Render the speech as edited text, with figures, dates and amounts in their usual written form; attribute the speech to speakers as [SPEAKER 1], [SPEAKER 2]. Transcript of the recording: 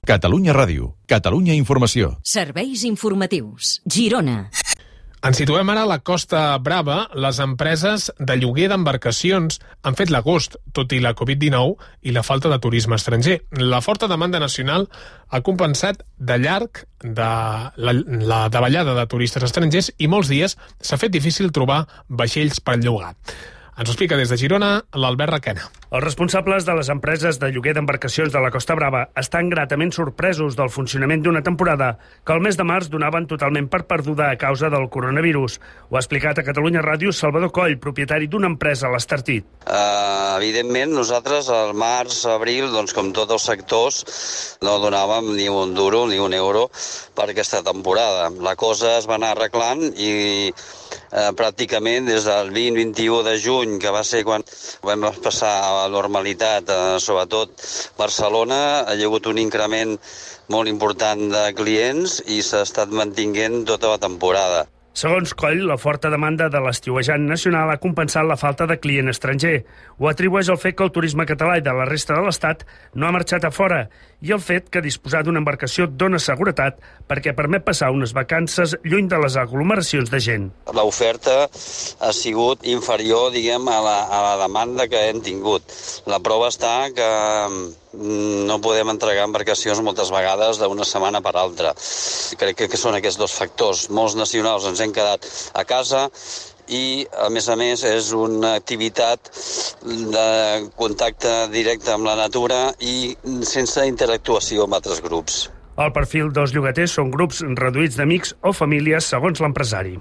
[SPEAKER 1] Catalunya Ràdio, Catalunya Informació.
[SPEAKER 2] Serveis informatius. Girona.
[SPEAKER 3] Ens situem ara a la Costa Brava. Les empreses de lloguer d'embarcacions han fet l'agost, tot i la Covid-19 i la falta de turisme estranger. La forta demanda nacional ha compensat de llarg la davallada de turistes estrangers i molts dies s'ha fet difícil trobar vaixells per llogar. Ens ho explica des de Girona l'Albert Requena.
[SPEAKER 4] Els responsables de les empreses de lloguer d'embarcacions de la Costa Brava estan gratament sorpresos del funcionament d'una temporada que el mes de març donaven totalment per perduda a causa del coronavirus. Ho ha explicat a Catalunya Ràdio Salvador Coll, propietari d'una empresa a l'Estartit.
[SPEAKER 5] Evidentment, nosaltres al març, abril, doncs com tots els sectors, no donàvem ni un duro ni un euro per aquesta temporada. La cosa es va anar arreglant i pràcticament des del 20-21 de juny, que va ser quan vam passar a la normalitat, sobretot Barcelona, hi ha hagut un increment molt important de clients i s'ha estat mantinguent tota la temporada.
[SPEAKER 4] Segons Coll, la forta demanda de l'estiuejant nacional ha compensat la falta de client estranger. Ho atribueix al fet que el turisme català i de la resta de l'Estat no ha marxat a fora i el fet que disposar d'una embarcació dona seguretat perquè permet passar unes vacances lluny de les aglomeracions de gent.
[SPEAKER 5] L'oferta ha sigut inferior, diguem, a la demanda que hem tingut. La prova està que no podem entregar embarcacions moltes vegades d'una setmana per altra. Crec que són aquests dos factors. Molts nacionals ens hem quedat a casa i, a més, és una activitat de contacte directe amb la natura i sense interactuació amb altres grups.
[SPEAKER 4] El perfil dels llogaters són grups reduïts d'amics o famílies, segons l'empresari.